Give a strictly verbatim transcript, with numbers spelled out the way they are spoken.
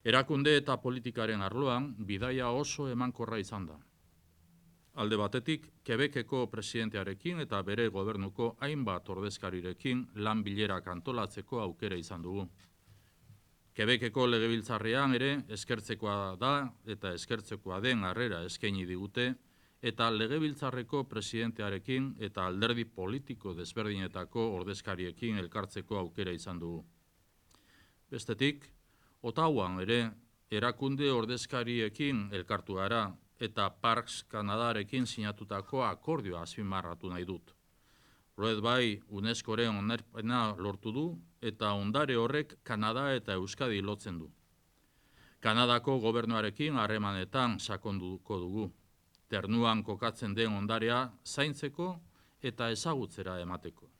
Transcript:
Erakunde eta politikaren arloan bidaia oso emankorra izan da. Alde batetik, Quebeceko presidentearekin eta bere gobernuko hainbat ordezkarirekin lan bilerak antolatzeko aukera izan dugu. Quebeceko legebiltzarrean ere eskertzekoa da eta eskertzekoa den harrera eskaini digute, eta legebiltzarreko presidentearekin eta alderdi politiko desberdinetako ordezkariekin elkartzeko aukera izan dugu. Bestetik, Ottawaan ere erakunde ordezkariekin elkartu gara eta Parks Kanadarekin sinatutako akordioa azpimarratu nahi dut. Horrez bai, UNESCOren onarpena lortu du eta ondare horrek Kanada eta Euskadi lotzen du. Kanadako gobernuarekin harremanetan sakonduko dugu. Ternuan kokatzen den ondarea zaintzeko eta ezagutzera emateko.